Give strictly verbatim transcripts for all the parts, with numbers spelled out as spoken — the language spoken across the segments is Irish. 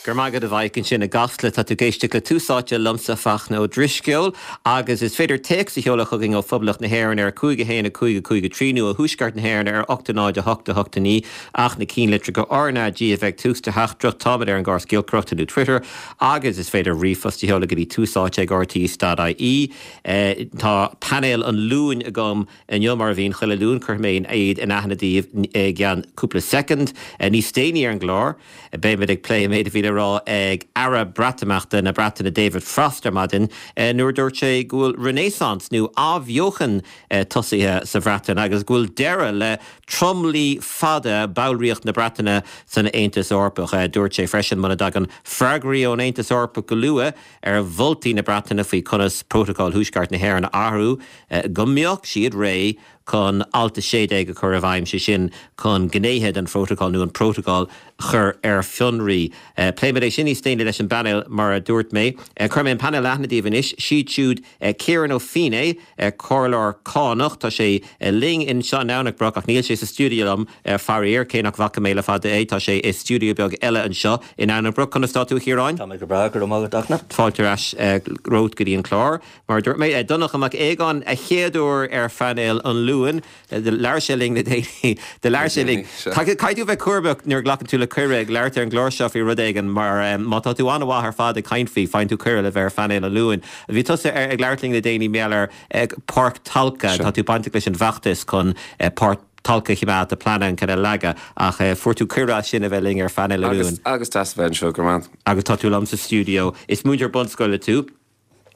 Go raibh maith agat a Mhaidhc ansin i gCasla tá tú ag éisteacht le Tús Áite liomsa Fachtna Ó Drisceoil agus is féidir téacs a sheoladh chugainn ó Phoblacht na hÉireann ar cúig a haon a cúig a cúig a trí nó ó Thuaisceart na hÉireann ar ocht a náid a hocht a hocht a naoi ach na cinnlitreacha RnaG a bheith ag tús do theachtaireacht táimid ar an gcóras giolcaireachta nó Twitter agus is féidir ríomhphost a sheoladh go dtí tús áite ag RTÉ.ie. Tá painéal an Luain agam inniu mar a bhíonn chuile Luan cuirfidh mé iad in aithne daoibh i gceann cúpla soicind níos déanaí ar an gclár. Beimid ag plé an méid a bhí le rá ag Aire Breatimeachta na Breataine David Frost ar maidin nuair dúirt sé go bhfuil renaissance nó athbheochan tosaithe sa Bhreatain agus go bhfuil deireadh le tromluí fada ballraíocht na Breataine san Aontas Eorpach. Dúirt sé freisin muna dtagann freagraí ón Aontas Eorpach go luath ar mholtaí na Breataine faoi conas Prótacal Thuaisceart na hÉireann a athrú go mbeadh siad réidh chun alt a sé déag a chur i bhfeidhm sé sin chun gnéithe den phrótacal nó an prótacal chur ar fionraí. Pléifimid é sin níos déanaí leis an bpainéal mar a dúirt mé. Cuirfidh mé an painéal in aithne daoibh anois siad siúd Ciarán Ó Feinneadha comhairleoir cánach Tá sé linn anseo in Domhnach Broc ach níl sé sa stiúideo liom faraor cé nach bhfaca mé le fada é tá sé i stiúideo beag eile anseo in Domhnach Broc conas tá tú a Chiaráin? Tá mé go breá go raibh maith agat Fáilte ar ais romhat go dtí an clár. Mar dúirt mé Donncha Mac Aogáin a chéad uair ar phainéal an Luain labhair sé linn le déanaí de labhair sé linn Caithfidh tú bheith cúramach nuair a ghlacann tú le cuireadh ag labhairt ar an gclár seo faoi rud éigin mar má tá tú an-mhaith ar fad ag caint faoi faigheann tú cuireadh le bheith ar phainéal an Luain. Bhí tusa ag labhairt linn le déanaí mar gheall ar Páirc Tolka tá tú bainteach leis an bhfeachtas chun Páirc Tolka a choimeád tá plean ann chun é a leagadh ach fuair tú cuireadh as sin a bheith linn ar phainéal an Luain. Agus deas a bheith anseo go raibh. Agus tá tú liom sa stiúideo. Is múinteoir bunscoile tú.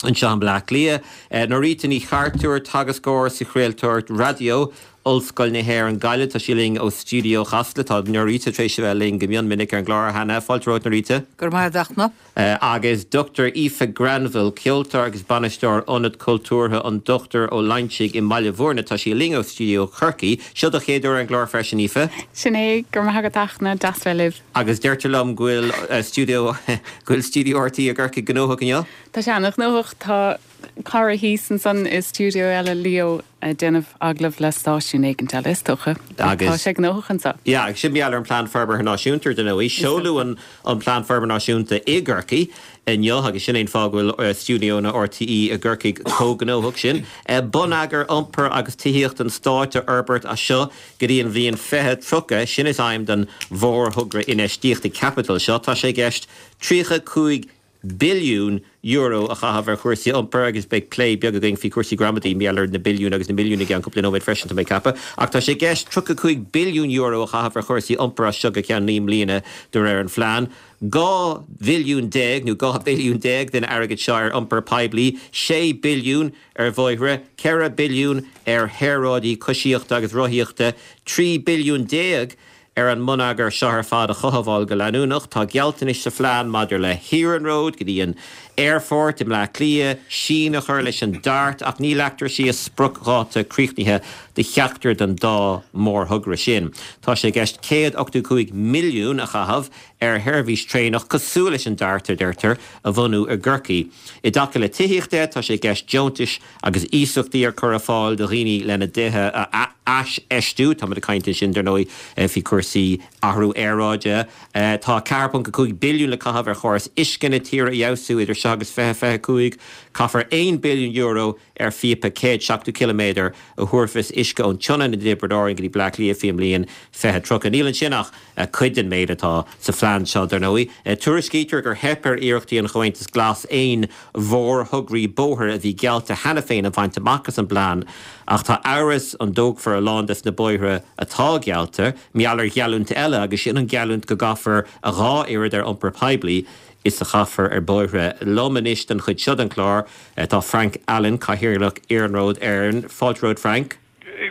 Anseo i mBleá Cliath. Norita Ní Chartúir teagascóir sa chraoltóireacht raidió Ollscoil na hÉireann Gaillimh tá sí linn ó stiúideo Chasla tá Norita tar éis a bheith linn go mion minic ar an gclár cheana fáilte romhat Norita. Go raibh maith agat Agus Dr Aoife Granville, ceoltóir agus bainisteoir Ionad Cultúrtha an Dr Ó Loingsigh i mBaile Bhúirne tá sí linn ó stiúideo Chorcaí. Seo do chéad uair ar an gclár freisin Aoife. Sin é go raibh maith agat deas bheith libh. Agus deirtear liom go bhfuil stiúideo go bhfuil stiúideo RTÉ i gCorcaigh gnóthach inniu? Tá sé an-ghnóthach tá cara thíos ansan i stiúideo eile Leo ag déanamh agallamh le stáisiún éigin eile is dócha. Tá sé gnóthach anseo. Ja, agus sin mar gheall ar an Plean Forbartha Náisiúnta dar ndóigh seoladh an an Plean Forbartha Náisiúnta i gCorcaigh inniu agus sin é an fáth go bhfuil stiúideonna RTÉ i gCorcaigh chomh gnóthach sin. Bonneagar iompair agus tithíocht an stáit a fhorbairt as seo go dtí an bhliain fiche tríocha sin is aidhm don mhórthogra infheistíochta caipitil seo tá sé i gceist tríocha cúig billiún euro a chaitheamh ar chúrsaí iompair agus beidh plé beag againn faoi chúrsaí gramadaí mar gheall ar na billiúin agus na milliúin i gceann cúpla nóiméad freisin tá mé ag ceapadh. Ach tá sé i gceist tríocha cúig billiún euro a chaitheamh ar chúrsaí iompair as seo go ceann naoi mbliana de réir an phlean. Dhá bhilliún déag nó dhá billiún déag den airgead seo ar iompar poiblí, sé billiún ar bhóithre, ceithre billiún ar shaoráidí coisíochta agus rothaíochta, trí billiún déag ar an mbonneagar seo ar fad a chothabháil go leanúnach, tá gealltanais sa phlean maidir le hiarnród go dtí an aerfort i mBleá Cliath, síneadh a chur leis an DART ach ní leagtar síos spriocdháta críochnaithe do cheachtar den dá mhórthogra sin. Tá sé i gceist céad ochtó cúig milliún a chaitheamh ar sheirbhís traenach cosúil leis an DART a deirtear a bhunú i gCorcaigh. I dtaca le tithíocht de, tá sé i gceist deontais agus iasachtaí a chur ar fáil do dhaoine lena dtithe a aisfheistiú, Tá muid ag caint ansin dar ndóigh faoi chúrsaí athrú aeráide. Tá ceathair ponc a cúig billiún le caitheamh ar chóras uisce na tíre a fheabhsú idir seo agus fiche fiche cúig. Caithfear aon billiún euro ar phíopa céad seachtó ciliméadar a thabharfas uisce ón tSionainn i dTiobraid Árann go dtí Bleá Cliath faoin mbliain fiche tríocha. Níl ansin ach cuid den méid atá sa phlean seo dar ndóigh. Tuairiscítear gur theip ar iarrachtaí an Chomhaontais Glas aon mhórthograí bóthair a bhí geallta cheana féin a bhaint amach as an bplean ach tá amhras an dtógfar a lán des na bóithre atá geallta, mar gheall ar gheallúint eile agus sin an gheallúint go gcaithfear a dhá oiread ar iompar poiblí is a chaithfear ar bóithre. Liom anois don chuid seo den chlár tá Frank Allen, Cathaoirleach Iarnród Éireann. Fáilte romhat Frank.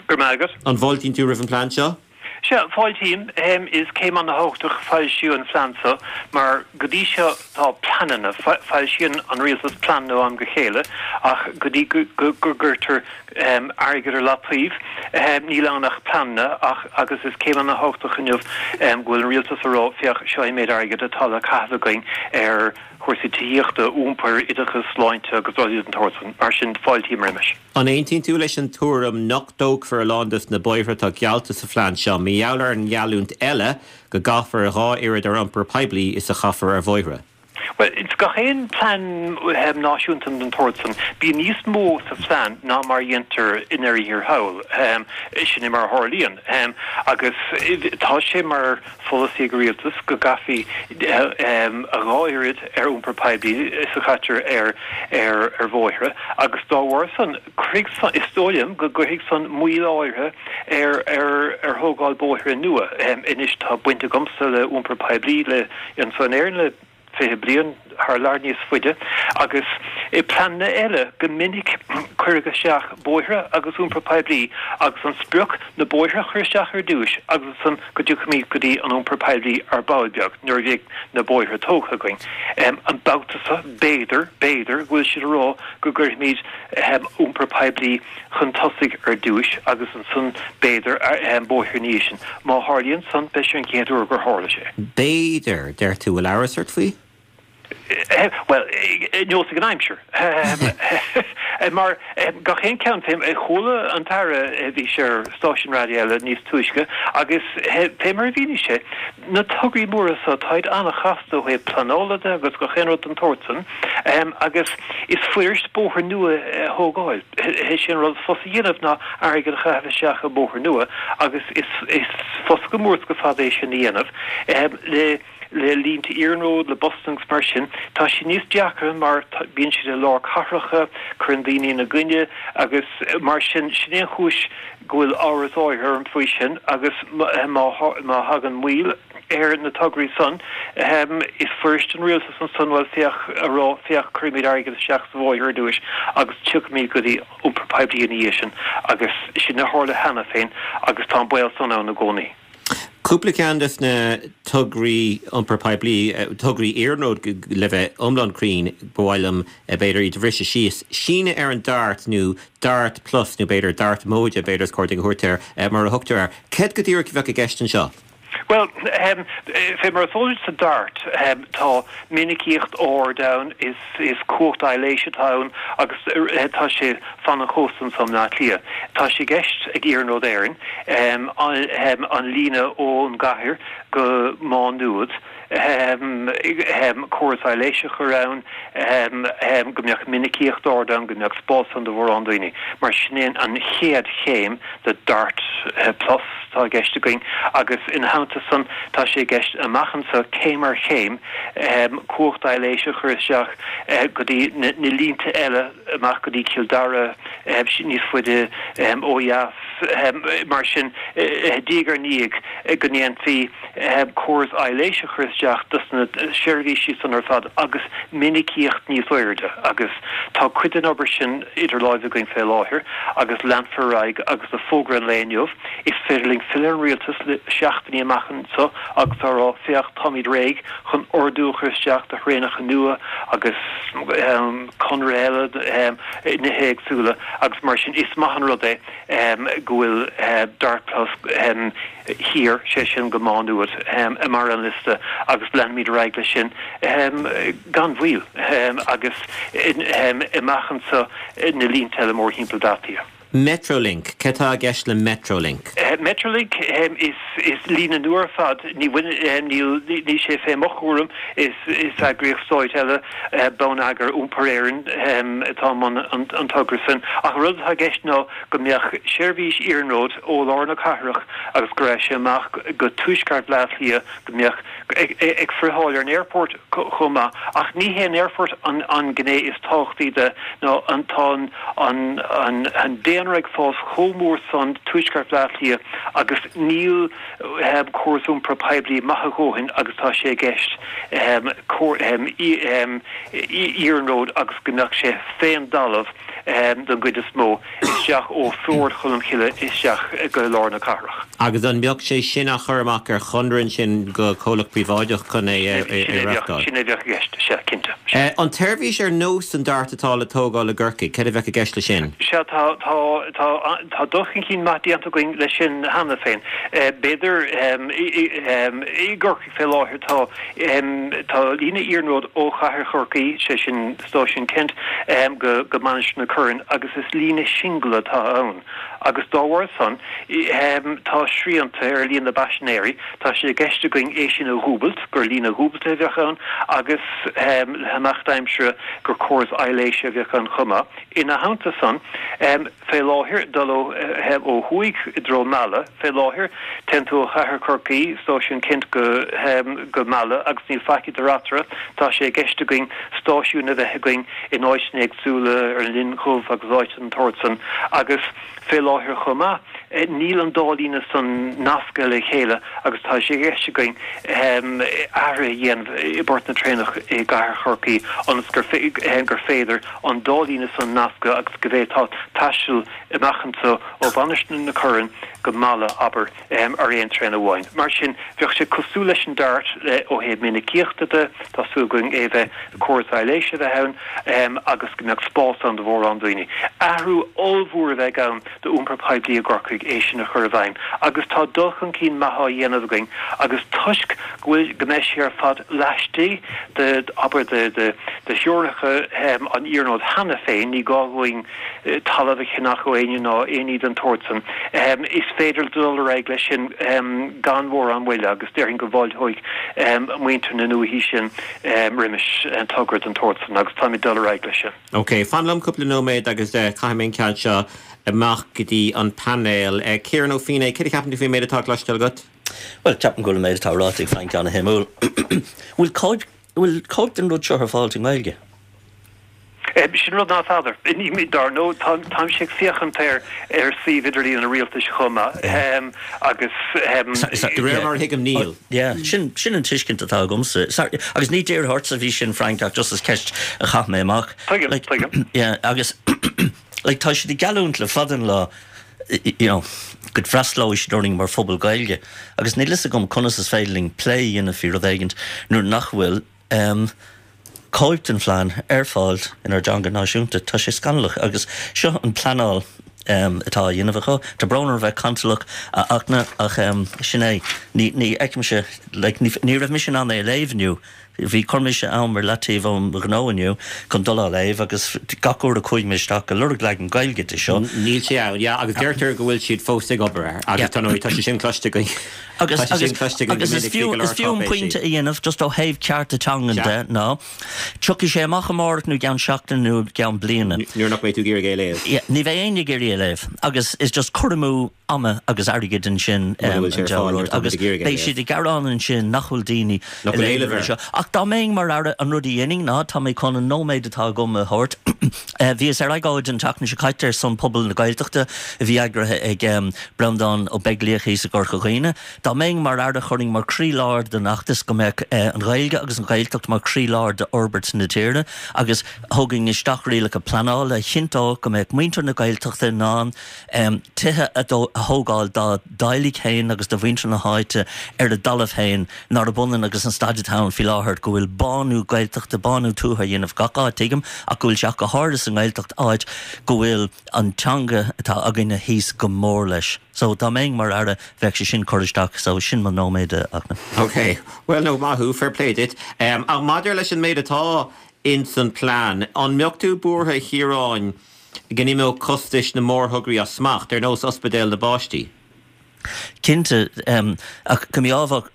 Go raibh maith agat. An bhfáiltíonn tú roimh an plean seo? Sea, fáiltím. Is céim an-thábhachtach foilsiú an phlean seo mar go dtí seo tá pleananna, foilsíonn an rialtas pleananna ó am go chéile ach go dtí go gcuirtear airgead ar leataobh níl ann ach pleananna ach agus is céim an-thábhachtach inniu go bhfuil an rialtas ag rá féach seo an méid airgid atá le caitheamh againn ar chúrsaí tithíochta, iompair, oideachas, sláinte agus rudaí den tsórt sin. Mar sin fáiltím roimis. An aontaíonn tú leis an tuairim nach dtógfar a lán des na bóithre atá geallta sa phlean seo mar mar gheall ar an ngeallúint eile go gcaithfear a dhá oiread ar iompar poiblí is a chaithfear ar bhóithre. Bhuel, ins gach aon plean náisiúnta den tsórt san, bíonn níos mó sa phlean ná mar a dhéantar i ndeireadh thiar thall. Sin é mar a tharlaíonn. Agus tá sé mar pholasaí ag an rialtas go gcaithfí a dhá oiread ar iompar poiblí is a chaitear ar ar bhóithre agus dá bharr san, cuirfidh san, is dóigh liom go gcuirfidh san moill áirithe ar ar ar thógáil bóithre nua. Anois tá baint agamsa le iompar poiblí le anso in Éirinn le fiche bliain, thar lear níos faide, agus i bpleananna eile go minic cuireadh isteach bóithre agus iompar poiblí agus an sprioc na bóithre a chur isteach ar dtúis agus ansan go dtiocfaimid go dtí an iompar poiblí ar ball beag nuair a bheidh na bóithre tógtha againn. An babhta seo b'fhéidir, b'fhéidir go bhfuil siad a rá go gcuirfimid iompar poiblí chun tosaigh ar dtúis agus ansan b'fhéidir bóithre ina dhiaidh sin. Má tharlaíonn san beidh sé an chéad uair gur tharla sé. B'fhéidir, deir tú, bhfuil amhras ort faoi? Bhuel, neosfaidh an aimsir. Mar gach aon cheann, chuala an tAire, bhí sé ar stáisiún raidió eile níos túisce, agus fé mar a mhínigh sé, na tograí móra so, táid an-chasta ó thaobh pleanála de agus gach aon rud den tsórt san, agus is fuirist bóthar nua a thógáil. Is é an rud is fusa a dhéanamh ná airgead a chaitheamh isteach i mbóthar nua, agus is fusa go mór is go fada é sin a dhéanamh le le línte iarnróid, le busanna agus mar sin. Tá sé níos deacra mar bíonn siad i lár cathracha, cuireann daoine ina gcoinne agus mar sin. Sin é an chúis go bhfuil amhras áirithe orm faoi sin agus má thagann moill ar na tograí san, is fuirist don rialtas ansan, bhuel féach, a rá, féach, cuirfimid airgead isteach sa bhóthar ar dtúis agus tiocfaimid go dtí iompar poiblí ina dhiaidh sin agus sin a tharla cheana féin agus tá an baol san ann i gcónaí. Cúpla ceann de na tograí iompar poiblí, tograí iarnróid le bheith iomlán cruinn, ba mhaith liom b'fhéidir iad a bhriseadh síos. Síneadh ar an Dart nó Dart Plus nó b'fhéidir Dart móide b'fhéidir is cóir dúinn a thabhairt air mar a thugtar air. Céard go díreach a bheadh i gceist anseo? Bhuel, fé mar is eol duit sa Dart tá minicíocht ard ann, is cumhacht aibhléise atá ann agus tá sé fan an chósta anso i mBleá Cliath. Tá sé i gceist ag Iarnród Éireann an líne ón gcathair go Má Nuad, córas aibhléise a chur ann, go mbeadh minicíocht ard ann, go mbeadh spás ann do mhórán daoine. Mar sin é an chéad chéim de Dart Plus atá i gceist againn agus ina theannta san tá sé i gceist amach anso céim ar chéim cumhacht aibhléise a chur isteach go dtí na línte eile amach go dtí Cill Dara, níos faide ó dheas. Mar sin, diaidh ar ndiaidh, go ndéanfaí córas aibhléise a chur isteach dos na seirbhísí san ar fad agus minicíocht níos airde. Agus tá cuid den obair sin idir láimhe againn fé láthair agus leanfar ar aghaidh agus le fógra an lae inniu, is féidir linn filleadh ar an rialtas le seachtainí amach anso agus a rá, féach, táimid réidh chun ordú a chur isteach do thraenacha nua agus conradh eile, nithe éagsúla agus mar sin is maith an rud é go bhfuil Dart Plus thiar, sé sin go Má Nuad, i mbarr an liosta agus leanfaimid ar aghaidh leis sin gan mhoill agus amach anso na línte eile mórthimpeall Bhaile Átha Cliath. Metrolink, Céard atá i gceist le Metrolink? Metrolink, is is líne nua ar fad, ní bhaineann, níl, níl sé fé mo chúram, is is eagraíocht stáit eile, Bonneagar Iompair Éireann, atá i mbun an togra sin. Ach an rud atá i gceist ná go mbeadh seirbhís iarnróid ó lár na cathrach agus go raghadh sé amach go tuaisceart Bhaile Átha Cliath, go mbeadh ag friotháil ar an aerfort chomh maith. Ach ní hé an aerfort an gné is tábhachtaí de ná an tá an daonra ag fás chomh mór san tuaisceart Bhaile Átha Cliath agus níl córas iompair poiblí maith a dhóthain agus tá sé i gceist iarnród agus go mbeadh sé fén dtalamh don gcuid is mó. isteach ó Shord Cholm Chille isteach go lár na cathrach. Agus an mbeadh sé sin á chur amach ar chonradh ansin go comhlacht príobháideach chun é a reáchtáil? Sin é a bheadh i gceist, sea, cinnte. Sea. An tseirbhís ar nós an Dart atá le tógáil i gCorcaigh, céard a bheadh i gceist leis sin? Sea, tá, tá, tá, tá dul chun cinn maith déanta againn leis sin cheana féin. B'fhéidir i gCorcaigh fé láthair tá tá líne iarnróid ó chathair Chorcaí, sé sin Stáisiún Kent, go go Mainistir na Corann agus is líne singil atá ann agus dá bharr san tá srianta ar líon na bpaisinéirí. Tá sé i gceist againn é sin a dhúbailt, gur líne dhúbailte a bheadh ann agus le himeacht aimsire gur córas aibhléise a bheadh ann chomh maith. Ina theannta san, fé láthair, dul ó ó thuaidh i dtreo Mala, fé láthair, téann tú ó chathair Chorcaí, Stáisiún Kent go go Mala agus níl faic idir eatarthu. Tá sé i gceist againn stáisiúin a bheith againn in áiteanna éagsúla ar an Linn Dhubh agus áiteanna den tsórt san agus fé láthair chomh maith, níl an dá líne san nasctha le chéile agus tá sé i gceist againn athruithe a dhéanamh i bport na traenach i gcathair Chorcaí ionas gur gur féidir an dá líne san a nascadh agus go bhféadfá taisteal amach anseo ó Mhainistir na Corann go Mala, abair, ar aon traein amháin. Mar sin, bheadh sé cosúil leis an DART ó thaobh minicíochta de, tá súil againn é bheith, córas aibhléise a bheith ann agus go mbeadh spás ann do mhórán daoine. Athrú ollmhór a bheidh ann d'iompar poiblí i gCorcaigh é sin a chur i bhfeidhm agus tá dul chun cinn maith á dhéanamh againn agus toisc go bhfuil, go mbeidh sé ar fad laistigh de, abair, de, de, de theorainneacha an iarnróid cheana féin, ní gá dhúinn talamh a cheannach ó éinne ná aon ní den tsórt san. Is féidir dul ar aghaidh leis sin gan mhórán moille agus déarfainn go bhfáilteoidh muintir na ndúichí sin roimis togra den tsórt san agus táimid dul ar aghaidh leis sin. Ok, fan liom cúpla nóiméad agus caithfidh mé an ceann seo amach go dtí an painéal. Ciarán Ó Feinneadha, céard a cheapann tú faoin méid atá cloiste agat? Bhuel, ceapaim go bhfuil an méid atá ráite ag Frank ana-shuimiúil. Bhfuil cóip, bhfuil cóip den rud seo ar fáil i nGaeilge? Sin rud ná feadar. Dar ndóigh, táimse ag féachaint ar ar suíomh idirlíon an rialtais chomh maith agus. De réir mar a thuigim, níl. Yeah, sin sin an tuiscint atá agamsa. Sorry, agus ní dírithe ortsa a bhí sin, Frank, ach just is ceist a chaith mé amach. Tuigim, tuigim. Yeah, agus like tá siad ag geallúint le fada an lá, you know, go bhfreastalóidh siad orainn mar phobal Gaeilge agus níl fhios agam conas is féidir linn plé a dhéanamh faoi rud éigint nuair nach bhfuil um, cóip den phlean ar fáil inár dteanga náisiúnta. Tá sé scannalach agus seo an pleanáil um, atá á dhéanamh acu. Tá brón orm a bheith cantalach a Fhachtna ach um, sin é. Ní, ní fheicimse, like, ní, ní raibh mise in ann é a léamh inniu. Bhí chuir mise am ar leataobh óm ghnó inniu chun dul á léamh agus gach uair a chuaigh mé isteach ag lorg leagan Gaeilge de seo. Níl sé ann, yeah, agus deirtear go bhfuil siad fós ag obair air agus tá tá sé sin cloiste againn. Agus Tá sé sin agus cloiste againn go agus is minic faoi fiú go is leor fiú an cáipéisí. pointe a dhéanamh just ó thaobh cearta teangan Sea. de ná tiocfaidh sé amach amárach nó i gceann seachtaine nó i gceann bliana. Nuair nach mbeidh tú ag iarraidh é a léamh. Yeah, ní bheidh éinne ag iarraidh é a léamh agus is just cur amú ama agus airgid ansin Mura um, bhfuil sé an ar fáil dealramh nuair atá agus muid ag iarraidh é a beidh léamh. siad ag gearán ansin nach bhfuil daoine Nach ag bhfuil léamh éileamh ar air. seo. Ach dá mbeinn mar aire an rud a dhéanfainn ná tá mé chun an nóiméad atá agam a thabhairt. Eh, Bhíos ar agóid an tseachtain seo caite ar son pobal na Gaeltachta a bhí eagraithe ag um, Breandán Ó Beaglaoich i gCorca Dhuibhne. Dá mbeinn mar aire chuirfinn mar chroílár den fheachtas go mbeadh eh, an Ghaeilge agus an Ghaeltacht mar chroílár d'fhorbairt na tíre agus thógfainn isteach rialacha pleanála a chinnteodh go mbeadh muintir na Gaeltachta in ann um, tithe a dó- a thógáil dá dteaghlaigh féin agus do mhuintir na háite ar a dtalamh féin nár ionann agus an staid atá ann faoi láthair go bhfuil bánú Gaeltachta bánú tuaithe á dhéanamh gach áit tuigim ach go bhfuil sé go háirithe sa nGaeltacht áit go bhfuil an teanga atá againne thíos go mór leis. So dá mbeinn mar aire bheadh sé sin curtha isteach so sin mo nóiméad a Fhachtna. Ok, well no maith thú fair play duit. Um, ach maidir leis an méid atá in san plean, an mbeadh tú buartha a Chiaráin go n-imeodh costais na mórthograí as smacht ar nós ospidéal na bpáistí? Cinnte um, ach go mbeadh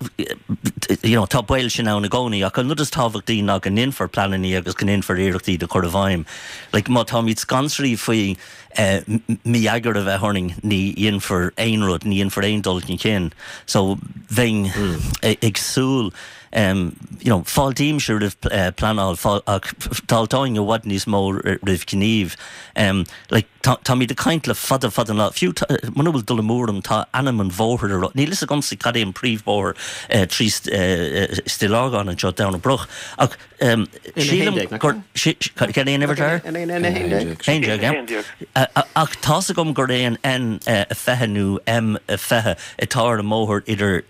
you know, tá baol sin ann i gcónaí ach an rud is tábhachtaí ná go ndéanfar pleananna agus go ndéanfar iarrachtaí de chur i bhfeidhm. Like, má táimid scanraithe faoi uh, mí-eagar a bheith orainn ní dhéanfar aon rud, ní dhéanfar aon dul chun cinn. So bheinn mm. ag súil um, you know, fáiltímse roimh uh, pleanáil ach fáiltím i bhfad níos mó roimh gníomh. Um, like, Táimid ag caint le fada fada lá fiú muna bhfuil dul amú orm tá ainm an bhóthair ar níl a fhios agamsa cad é an príomhbhóthar uh, trí uh, Stigh Lorgan anseo Domhnach Broc ach um, sílim gur cad é an uimhir ach tá a fhios agam gur é an N fiche nó M fiche atá ar an mbóthar idir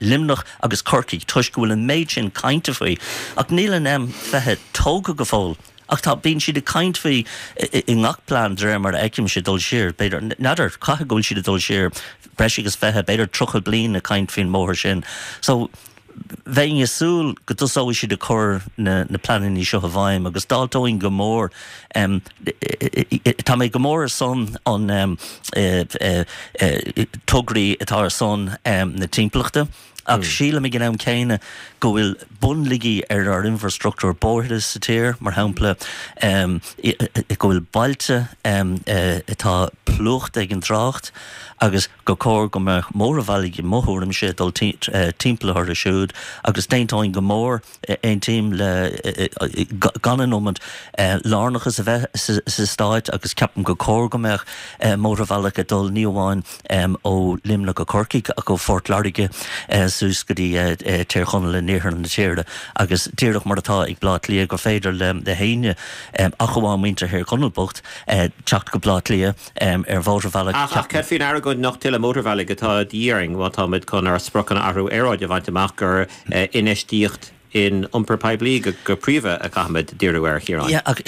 Luimneach agus Corcaigh toisc go bhfuil an méid sin cainte faoi ach níl an M fiche tógtha go fóill Ach tá bíonn siad ag caint faoi i ngach plean de réir mar a fheicimse dul siar, b'fhéidir, n'fheadar, caithfidh go bhfuil siad ag dul siar breis agus fiche, b'fhéidir tríocha bliain ag caint faoin mbóthar sin. So, bheinn ag súil go dtosóidh siad ag cur na na pleananna seo i bhfeidhm agus d'fháilteoinn go mór tá mé go mór ar son an tograí atá ar son na timpeallachta ach sílim ag an am céanna go bhfuil bunlaigí ar ár infrastruchtúr bóithre sa tír, mar shampla go bhfuil bailte atá plúchta ag an trácht agus gur chóir go mbeadh mótarbhealaigh i mo thuairimse ag dul timpeall orthu siúd agus d'aontóinn go mór, aontaím le gan an iomad lárnachas a bheith sa stáit agus ceapaim gur chóir go mbeadh mótarbhealach ag dul ní amháin ó Luimneach go Corcaigh ach ó Phort Láirge suas go dtí Tír Chonaill in iarthar na tíre agus díreach mar atá ag Bleá Cliath gur féidir le héinne ach amháin muintir Thír Chonaill bocht teacht go Bleá Cliath ar mhótarbhealach. Ach cad faoin argóint nach tuilleadh mótarbhealaigh atá de dhíth orainn má táimid chun ár spriocanna athrú aeráide a bhaint amach gur infheistíocht in iompar poiblí go príomha a chaithfimid díriú air, a Chiaráin? Yeah, ach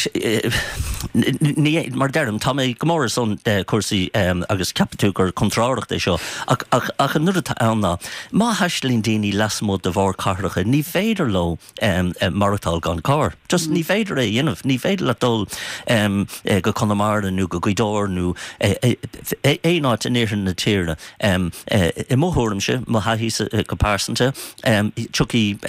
ní, mar a deirim, tá mé go mór ar son cúrsaí agus ceapfaidh tú gur contrárthacht é seo, ach, ach, ach an rud atá ann ná, má thaistealaíonn daoine lasmuigh de mhórchathracha, ní féidir leo maireachtáil gan carr. Just ní féidir é a dhéanamh. Ní féidir leat dul go Conamara nó go Gaoth Dobhair nó aon áit in iarthar na tíre. I mo thuairimse, mo thaithí go pearsanta, tiocfaidh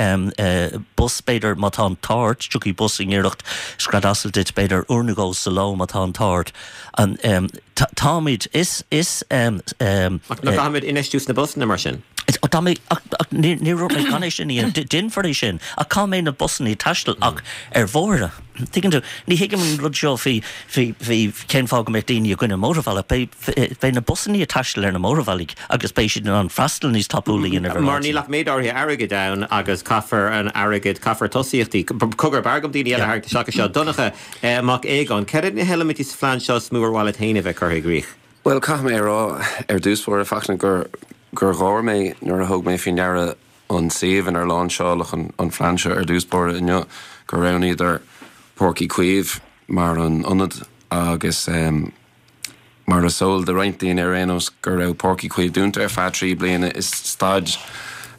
bus, b'fhéidir, má tá an t-ádh ort, tiocfaidh bus i ngiorracht scread asail duit, b'fhéidir, uair nó dhó sa ló má tá an t-ádh ort. Táimid, is, is. Ach nach gcaithfimid infheistiú sna busanna mar sin? Tá mé, ach, ach níor dúirt mé gan é sin a dhéanamh. Déanfar é sin, ach cá mbeidh na busanna ag taisteal ach ar bhóithre? Tuigeann tú? Ní thuigim an rud seo faoi, faoi, faoi cén fáth go mbeadh daoine i gcoinne mótarbhealach. Beidh, beidh na busanna ag taisteal ar na mótarbhealaigh agus beidh siad in ann freastal níos tapúla a dhéanamh ar Mar níl ach méid áirithe airgid ann agus caithfear an airgead, caithfear tosaíochtaí. Cogar, b'fhearr dom daoine eile a tharraingt isteach anseo. Donncha Mac Aogáin, cad iad na heilimintí sa phlean seo is mó ar mhaith leat féin a bheith curtha i gcrích? Bhuel, caithfidh mé a rá ar dtús báire, a Fachtna, gur, gur gháir mé nuair a thug mé faoi ndeara an suíomh inar láinseáladh an phlean seo ar dtús báire inniu, gur roghnaíodar Páirc Uí Chaoimh mar an ionad agus mar is eol do roinnt daoine ar aon nós go raibh Páirc Uí Chaoimh dúnta ar feadh trí bliana. Is staid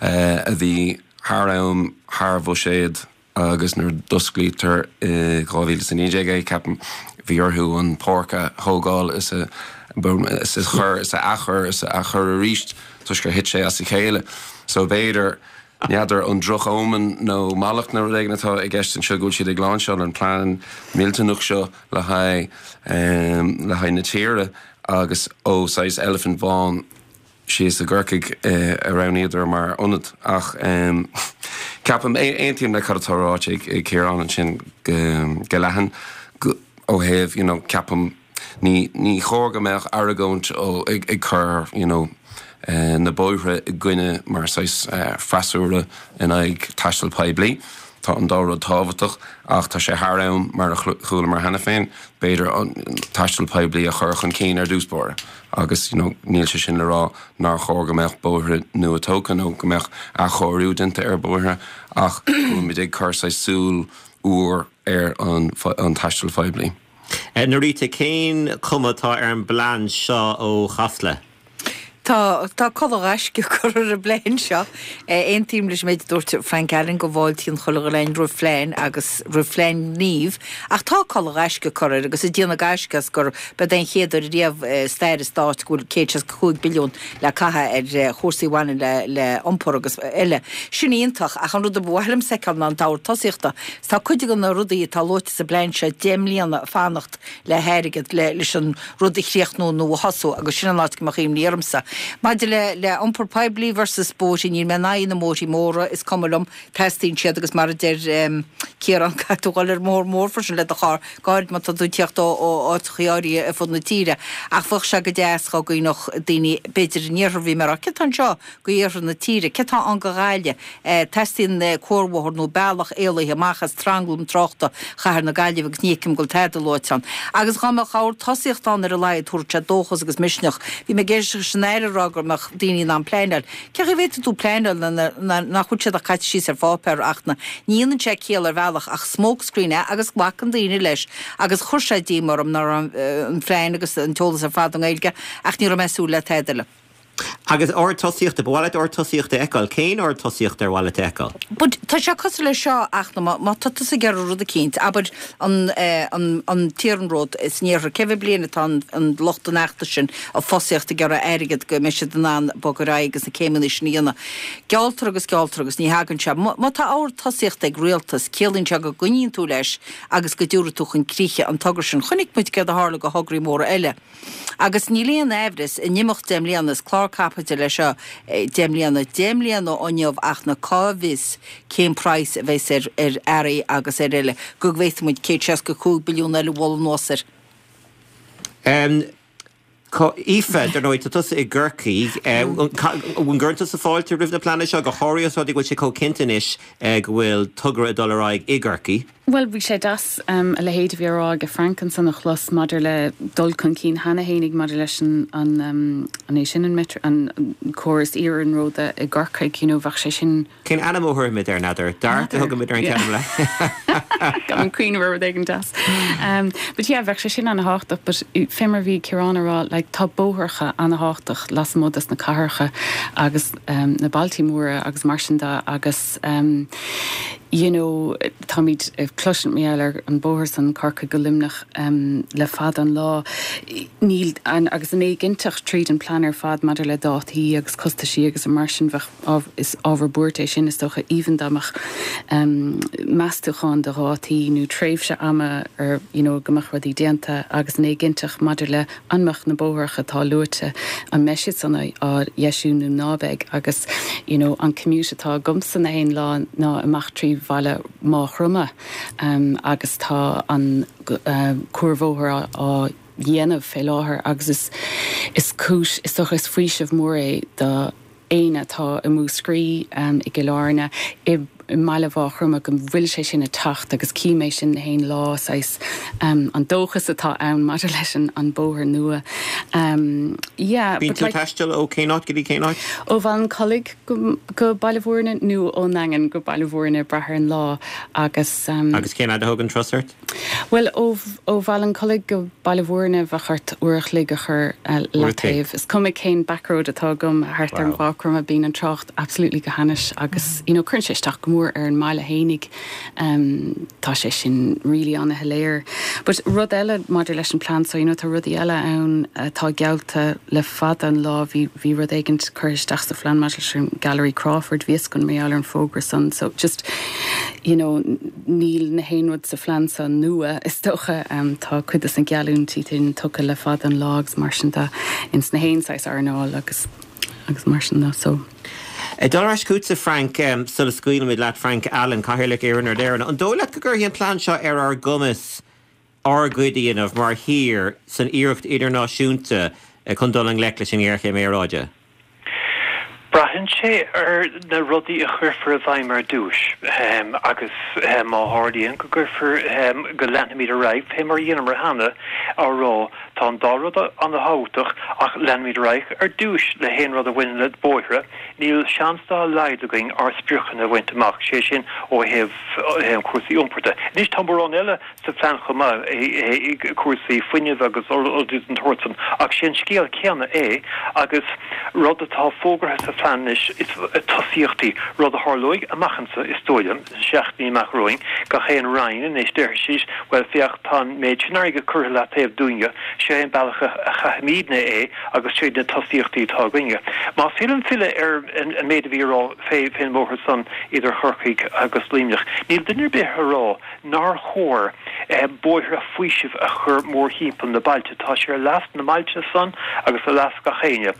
a bhí thar am, thar bhuiséad agus nuair a d'osclaítear i dhá mhíle is a naoi déag é, ceapaim, bhí orthu an pháirc a thógáil is a is a chur is a athchur is a athchur arís toisc gur thit sé as a chéile. So b'fhéidir, n'fheadar an droch-omen nó mallacht nó rud éigin atá i gceist anseo go bhfuil siad ag láinseáil an plean millteanach seo le haghaidh le haghaidh na tíre agus ó saghas eilifint bhán síos i gCorcaigh a roghnaíodar mar ionad. Ach ceapaim, aontaím le cad atá ráite ag Ciarán ansin go leathan ó thaobh, you know, ceapaim, ní ní chóir go mbeadh argóint ó ag ag cur, you know, na bóithre i gcoinne mar saghas freasúra in aghaidh taisteal poiblí. Tá an dá rud tábhachtach ach tá sé thar am, mar a chualamar cheana féin, b'fhéidir an taisteal poiblí a chur chun cinn ar dtús báire agus you know níl sé sin le rá nár chóir go mbeadh bóithre nua tógtha nó go mbeadh athchóiriú déanta ar bhóithre ach go bhfuilimid ag cur saghas súil úr ar an an taisteal phoiblí. Norita, cén chuma atá ar an bplean seo ó Chasla? Tá tá culaith gaisce curtha ar an bplean seo. Aontaím leis an méid a dúirt Frank Allen go bhfáiltíonn chuile dhuine roimh phlean agus roimh phlean gnímh ach tá culaith gaisce curtha air agus ag déanamh gaisce as gur b'é an chéad uair riamh i stair an stáit go bhfuil céad seasca cúig billiún le caitheamh ar chúrsaí a bhaineann le le iompar agus eile. Sin iontach ach an rud a ba mhaith liom a fheiceáil ná an t-ábhar tosaíochta. Tá cuid de na rudaí atá luaite sa bplean seo deich mbliana ag fanacht le hairgead le leis an rud a chríochnú nó a thosú agus sin an áit go mbeadh imní ormsa. Maidir le le iompar poiblí versus bóithre, níl mé in aghaidh na mbóithrí móra, is cuma liom, teastaíonn siad agus mar a deir Ciarán caithfidh tú dhul ar an mbóthar mór freisin le do charr, go háirid má tá tú ag tíocht ó ó áiteachaí áirithe ar fud na tíre. Ach bheadh sé go deas dhá gcuimhneodh daoine b'fhéidir in iarthar, bhí mé ag rá, céard tá anseo go iarthar na tíre, céard tá ann go Ghaillimh? Teastaíonn cuarbhóthar nó bealach éalaithe amach as tranglam tráchta chathair na Gaillimhe agus ní fheicim go bhfuil tada luaite ann. Agus dhá mbeadh ábhar tosaíochta ann ar a laghad, thabharfadh sé dóchas agus misneach. Bhí mé ag éisteacht leis an Aire Aire ag rá go mbeadh daoine in ann pleanáil. Cén chaoi a bhféadfaidh tú pleanáil nuair nach bhfuil siad ach caite síos ar pháipéar ach na ní dhéanann sé ciall ar bhealach ach smokescreen é agus glacann daoine leis agus chuir sé díoma orm nach raibh an plean agus an t-eolas ar fad i nGaeilge ach ní raibh mé ag súil le tada eile. Agus ord tosaíochta, ba mhaith leat ord tosaíochta a fheiceáil. Cén ord tosaíochta ar mhaith leat a fheiceáil? But tá sé cosúil leis seo ach má má tá tusa ag iarraidh rud eicínt, abair an an an t-iarnród san iarthar, cé mhéad bliain atá an an lucht an fheachtais sin ag fosaíocht ag iarraidh airgead go mbeidh siad in ann bogadh ar aghaidh agus na céimeanna sin a dhéanamh. Gealltar agus gealltar agus ní thagann sé. Má tá ord tosaíochta ag rialtas, ciallaíonn sé go gcoinníonn tú leis agus go dtabharfaidh tú chun críche an togra sin. Chonaic muid céard a tharla do thograí móra eile. Agus níl aon aimhreas, in imeacht deich mbliana, is clár caipitil é seo deich mbliana, deich mbliana ó inniu ach na cá bhfios cén praghas a bheas ar ar earraí agus ar eile, go bhféadfaidh muid céad seasca cúig billiún eile a bhualadh anuas air. Aoife, dar ndóigh, tá tusa i gCorcaigh. An gcuireann tusa fáilte roimh na pleananna seo, go háirithe os rud é go bhfuil sé chomh cinnte anois go bhfuil togra ag dul ar aghaidh i gCorcaigh? Bhuel, bhí sé deas a leithéid a bhí á rá ag Frank ansan a chlos maidir le dul chun cinn cheana fhéinig maidir leis an, an, an é sin an metro, an córas iarnróid i gCorcaigh, you know, bheadh sé sin. Cén ainm a thabharfaimid air, n'fheadar? Dart a thugaimid ar an ceann eile. Gan an cuimhneamh ar rud éigin deas. But yeah, bheadh sé sin ana-thábhachtach, but fé mar a bhí Ciarán a rá, like, tá bóithreacha ana-thábhachtach lasmuigh des na cathracha agus na bailtí móra agus mar sin de agus you know, táimid ag cloisint mar gheall ar an bóthar san Corcaigh go Luimneach le fada an lá. Níl an, agus an éiginnteacht tríd an plean ar fad maidir le dátaí agus costaisí agus mar sin bheadh, is ábhar buairt é sin is dócha even dá mbeadh meastúchán de dhátaí nó tréimhse ama ar you know, go mbeadh rudaí déanta agus an éiginnteacht maidir le an mbeadh na bóithreacha atá luaite, an mbeidh siad san á dheisiú nó ná beidh agus you know, an commute atá agamsa na haon lá ná amach trí bhaile Mhaigh Chromtha agus tá an cuarbhóthar á dhéanamh fé láthair agus is is cúis is dócha is faoiseamh mór é do éinne atá i Múscraí i gCill Airne i mbaile Mhaigh Chromtha go bhfuil sé sin ag teacht agus cím é sin na haon lá saghas an dóchas atá ann maidir leis an an bóthar nua. Yeah, Bíonn tú ag taisteal ó cén áit go dtí cén áit? Ó Bhallincollig go go Baile Bhúirne nó ón nDaingean go Baile Bhúirne brath ar an lá agus. Agus cén fhad a thógann turas ort? Bhuel ó ó Bhallincollig go Baile Bhúirne bheadh ort uair a chloig a chur leataobh. Is cuma cén backroad atá agam thart ar Mhaigh Chromtha bíonn an trácht absolutely go hainnis agus you know cuireann sé isteach go mór ar an mbaile fhéinig. Tá sé sin really ana-shoiléir. But rud eile maidir leis an plean so you know tá rudaí eile ann atá geallta le fada an lá bhí bhí rud éigint curtha isteach sa phlean maidir leis an Gallery Crawford bhí fhios agam mar gheall ar an fógra san so just you know níl na haon rud sa phlean so nua is dócha tá cuid de na geallúintí sin tugtha le fada an lá agus mar sin de ins na haon saghas earnáil agus agus mar sin de so. Dul ar ais chugatsa Frank, sula scaoilimid leat Frank Allen, Cathaoirleach Iarnród Éireann, an dóigh leat go gcuirfidh an plean seo ar ár gcumas ár gcuid a dhéanamh mar thír san iarracht idirnáisiúnta chun dul i ngleic leis an ngéarchéim aeráide? Braitheann sé ar na rudaí a chuirfear i bhfeidhm ar dtús agus má tharlaíonn go gcuirfear, go leanfaimid ar aghaidh fé mar a dheineamar cheana, á rá tá an dá rud an-thábhachtach ach leanfaimid ar aghaidh ar dtús le haon rud a bhaineann le bóithre, níl seans dá laghad againn ár spriocanna a bhaint amach, sé sin ó thaobh cúrsaí iompair de. Anois tá mórán eile sa phlean chomh maith, cúrsaí fuinnimh agus rudaí den tsórt san, ach sé an scéal céanna é agus rud atá fógartha sa phlean anois is tosaíochtaí, rud a tharlóidh amach anso is dóigh liom, sna seachtainí amach romhainn, gach aon roinn anois déarfaidh siad, bhuel féach tá an méid sin airgid curtha leataobh dúinne, seo é an bealach a chaithfimidne é agus seo iad na tosaíochtaí atá againne. Más féidir liom filleadh ar an méid a bhí a rá fén mbóthar san idir Chorcaigh agus Luimneach, níl duine ar bith a rá nár chóir bóithre faoisimh a chur mórthimpeall na bailte. Tá sé ar leas na mbailte san agus ar leas gach éinne.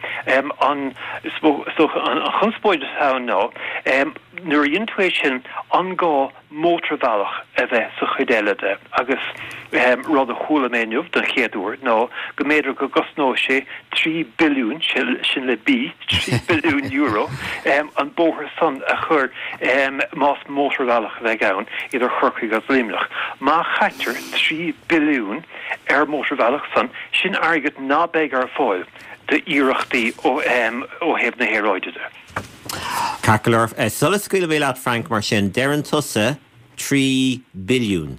An, is dócha, an chonspóid atá ann ná, nuair a dhéanann tú é sin, an gá mótarbhealach a bheith sa chuid eile de? Agus rud a chuala mé inniu don chéad uair ná go mb'fhéidir go gcosnóidh sé trí billiún, sin le B, trí billiún euro, an bóthar san a chur, más mótarbhealach a bheidh ann, idir Chorcaigh agus Luimneach. Má chaitear trí billiún ar mhótarbhealach san, sin airgead ná beidh ar fáil. d'iarrachtaí ó ó thaobh na haeráide de. Ceart go leor, sula scaoilfidh mé leat Frank mar sin, deireann tusa trí billiún.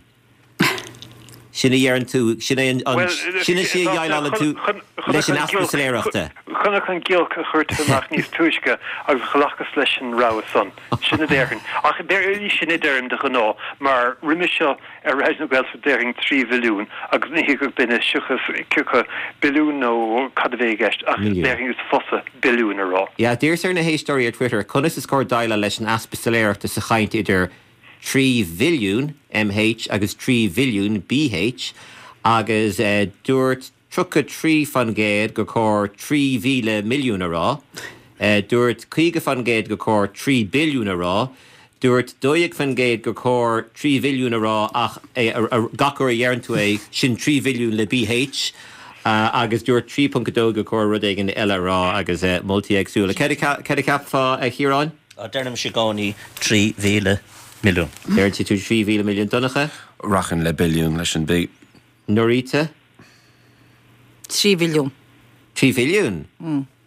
Sin a dheireann tú, sin é an, sin é sí a dhéileálann tú leis an easpa soiléireachta. Chonac an giolc a chuir tú amach níos túisce agus ghlacas leis an rogha san. Sin a déarfainn. Ach sin a deirim de ghnáth, mar roimhe seo ar Raidió na Gaeltachta déarfainn trí bhilliún agus ní thuigfeadh duine seachas cioca billiún nó cad a bheadh i gceist ach déarfainn is fusa billiún a rá. Yeah, d'iarras ar na héisteoirí ar Twitter conas is cóir déileáil leis an easpa soiléireachta sa chaint idir trí mhilliún, M H, agus trí bhilliún, B H, agus dúirt tríocha trí faoin gcéad gur chóir trí mhíle milliún a rá, dúirt caoga faoin gcéad gur chóir trí billiún a rá, dúirt dó dhéag faoin gcéad gur chóir trí bhilliún a rá ach gach uair a dheireann tú é sin trí bhilliún le B H, agus dúirt trí ponc a dó gur chóir rud éigin eile a rá agus moltaí éagsúla. Céard a cheapfá, a Chiaráin? Deirimse i gcónaí trí mhíle milliún. Deireann tú trí mhíle milliún. Donncha? Rachainn le billiún leis an B. Norita? Trí bhilliún. Trí bhilliún?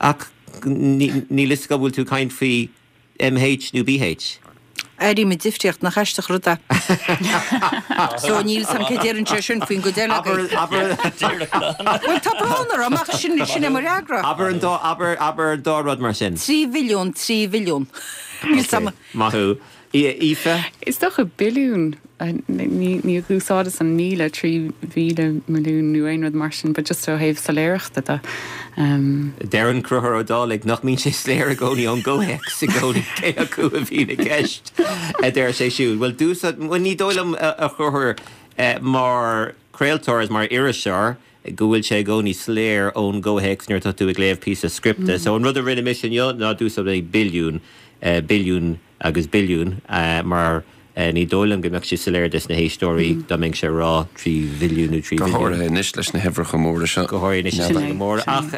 Ach níl a fhios go bhfuil tú ag caint faoi M H nó B H? Airím an difríocht nach aisteach rud é. So níl sam cé deireann sé sin faoin gcuid eile. Well tá brón orm ach sin sin é mo fhreagra. Abair an dá abair abair an dá rud mar sin. Trí bhilliún, trí bhilliún. Níl sam. Maith thú. Aoife? Is dócha billiún ní ní úsáideas an míle trí mhíle milliún nó aon rud mar sin, but just ó thaobh soiléireachta de. Um, Deireann Conchúr Ó Dálaigh nach mbíonn sé soiléir i gcónaí ón gcomhthéacs i gcónaí cé acu a bhíonn i gceist a deir sé siúd. Well dúsa ní dóigh liom a Chonchúir mar chraoltóir is mar iriseoir go bhfuil sé i gcónaí soiléir ón gcomhthéacs nuair atá tú ag léamh píosa scripte. So an rud a rinne mise inniu ná d'úsáid mé billiún billiún agus billiún mar ní dóigh liom go mbeadh sé soiléir dos na héisteoirí dá mbeinn ag rá trí bhilliún nó trí Go háirithe anois leis na huimhreacha móra seo. Go háirithe anois leis na móra ach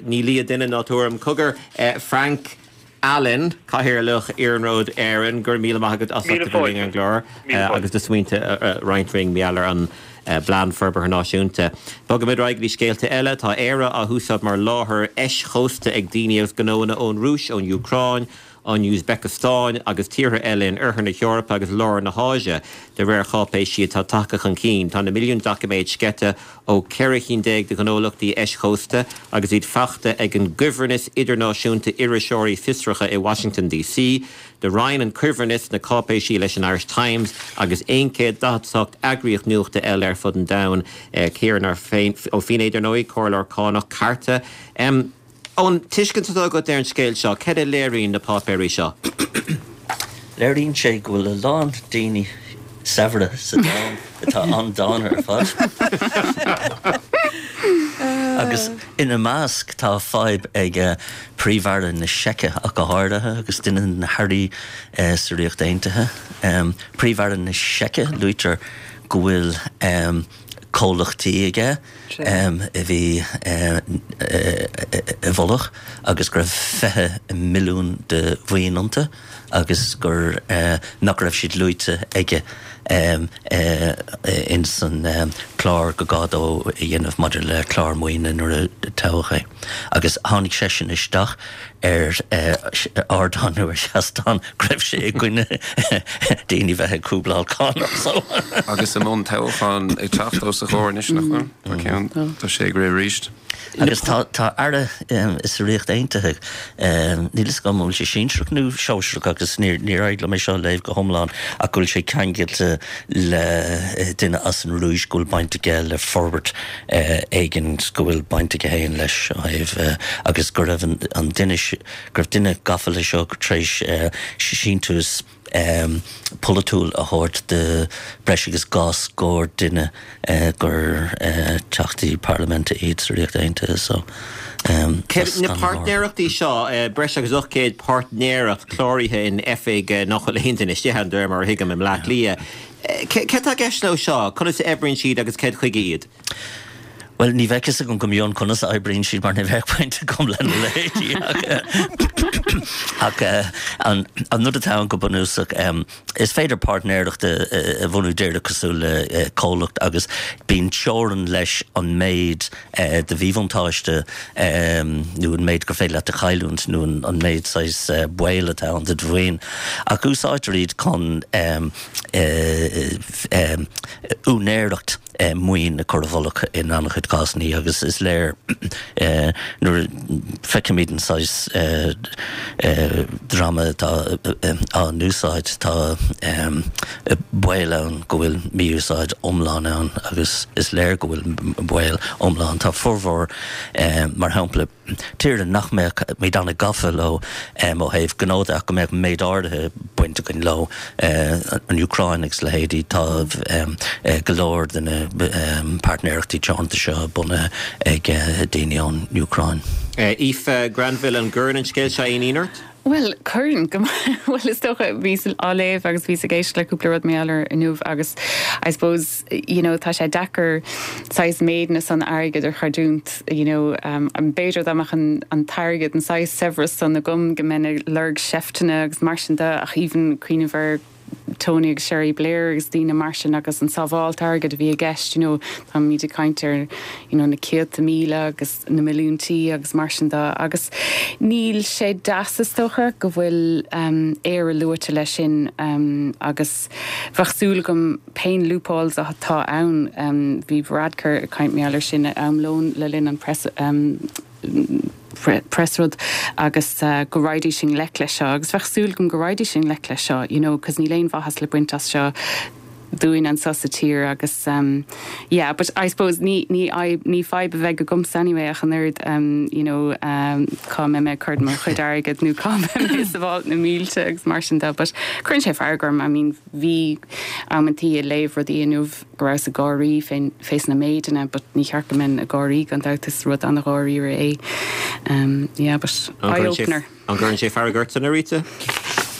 ní lia duine ná tuairim cogar Frank Allen Cathaoirleach Iarnród Éireann gur míle maith agat as an gclár agus do smaointe roinnt linn maidir leis an bPlean Forbartha Náisiúnta. Bogaimid ar aghaidh scéalta eile tá Éire á húsáid mar láthair eischósta ag daoine agus gnóanna ón Rúis ón Úcráin, an Úisbéiceastáin agus tíortha eile in oirthear na hEorpa agus lár na hÁise de réir cháipéisí atá tagtha chun cinn. Tá na milliún doiciméad sceite ó ceithre cinn déag de ghnólachtaí eischósta agus iad faighte ag an gCuibhreannas Idirnáisiúnta Iriseoirí Fiosracha i Washington D C. Do roinn an cuibhreannas na cáipéisí leis an Irish Times agus aon chéad daichead a hocht eagraíocht nuachta eile ar fud an domhain Ciarán Ó Feinneadha ar ndóigh comhairleoir cánach Cairte. Um, Ón tuiscint atá agat ar an scéal seo, cad a léiríonn na páipéirí seo? Léiríonn sé go bhfuil a lán daoine saibhre sa domhan atá an-dána ar fad. Agus ina measc tá fadhb ag Príomh-Aire na Seice ach go háirithe agus duine na hairí sa Ríocht Aontaithe. Um, Príomh-Aire na Seice luaitear go bhfuil um, comhlachtaí aige um, a bhí uh, i bhfolach agus go raibh fiche milliún de mhaoin iontu agus gur uh, nach raibh siad luaite aige um, uh, in san um, clár go gá dó a dhéanamh maidir le clár maoine nuair a toghadh é. Agus tháinig sé sin isteach ar uh, ardán nó ar seastán go raibh sé i gcoinne daoine bheith ag cúbláil cánach so. Agus i mbun toghchán ag teacht os a chomhair anois nach bhfuil? Tá ceann tá sé ag rith arís. Agus tá tá aire um, is Ríocht Aontaithe um, níl a fhios agam bhfuil sé sinsearach nó sóisearach agus níor níor éirigh liom é seo léamh go hiomlán ach go bhfuil sé ceangailte le eh, duine as an Rúis go bhfuil baint aige le forbairt uh, éigin go bhfuil baint aige féin leis ó thaobh uh, agus go raibh an, an duine go raibh duine gafa leis seo tar éis uh, síntiús um, polaitiúil a thabhairt de breis agus dhá scór duine uh, gur uh, teachtaí parlaiminte iad sa Ríocht Aontaithe so um, Na páirtnéireachtaí seo uh, breis agus ocht gcéad páirtnéireacht cláraithe in oifig uh, nach bhfuil aon duine istigh ann mar a thuigim i mBleá Cliath. Cad tá i gceist leo seo, conas a oibríonn siad agus cad chuige iad? Well, ní bheadh a fhios agam go mion conas a oibríonn siad mar ní bheadh baint agam lena leithéidí. Ach an an rud atá ann go bunúsach is féidir páirtnéireacht a bhunú díreach cosúil le comhlacht agus bíonn teorainn leis an méid de mhíbhuntáiste nó an méid gur féidir leat a chailliúint nó an méid saghas baol atá ann do do mhaoin. Ach úsáidtear iad chun úinéireacht maoin a chur i bhfolach in an-chuid cásanna agus is léir nuair a feicimid an saghas dreama atá á n-úsáid tá baol ann go bhfuil mí-úsáid iomlán ann agus is léir go bhfuil baol iomlán. Tá formhór mar shampla tíortha nach mbeadh muid an-gafa leo ó thaobh gnó de ach go mbeadh méid áirithe baint againn leo, an Úcráin agus leithéidí, tá go leor de na páirtnéireachtaí teoranta seo bunaithe ag daoine ón Úcráin. Aoife Granville, an gcuireann an scéal seo aon ionadh ort? Bhuel, cuireann go maith. Bhuel, is dócha, bhíos á léamh agus bhíos ag éisteacht le cúpla rud mar gheall air inniu agus I suppose, you know, tá sé deacair saghas méideanna san airgid a chreidiúint, you know, b'fhéidir dá mbeadh an an t-airgead, an saghas saibhreas san agam go mbeinn ag lorg seifteanna agus mar sin de ach even cuimhneamh ar Tony agus Cherie Blair agus daoine mar sin agus an sábháilt airgid a bhí i gceist, you know, táimid ag caint ar, you know, na céadta míle agus na milliúintí agus mar sin de agus níl sé deas is dócha go bhfuil um, Éire luaite leis sin um, agus bheadh súil agam pé loopholes atá ann um, bhí Varadkar ag caint mar gheall air sin am lóin le linn an press um, press rud agus uh, go raghaidís i ngleic leis seo agus bheadh súil agam go raghaidís i ngleic leis seo you know, cos níl aon mhaitheas le baint as seo dúinn anseo sa tír agus um, yeah, but I suppose ní ní ní fadhb a bheidh agamsa anyway ach an oiread um, you know, um, cá mbeidh mé ag cur mo chuid airgid nó cá mbeidh mé ag sábháilt na mílte agus mar sin de, but cuireann sé fearg orm I mean bhí amantaí ag léamh rudaí inniu go rabhas ag gáirí fén fés na méideanna but ní cheart go mbeinn ag gáirí gan dabht is rud an-dháiríre é. Um, yeah, but eye-opener. An gcuireann sé fearg ortsa a Rita?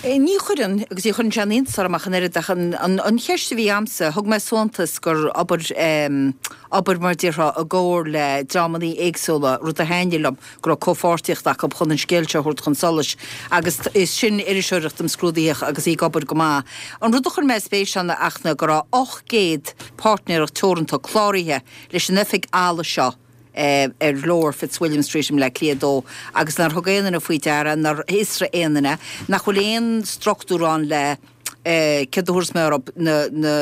Ní chuireann agus ní chuireann sé aon iontas orm ach an oiread ach an, an, an cheist a bhí a'msa, thug mé suntas gur obair um, obair mar déarfá i gcomhar le dreamanna éagsúla, rud a thaitnigh liom go raibh comhpháirtíocht acu chun an scéal seo a thabhairt chun solais agus is sin iriseoireacht imscrúdaitheach agus í ag obair go maith. An rud a chuir mé spéis ann ach ná go raibh ocht gcéad páirtnéireacht teoranta cláraithe leis an oifig áille seo ar Lower Fitzwilliam Street i mBleá Cliath dó agus nár thug aon duine faoi deara, nár fhiosraigh aon duine, nach bhfuil aon struchtúr ann le céard a thabharfas mé orthu, na, na,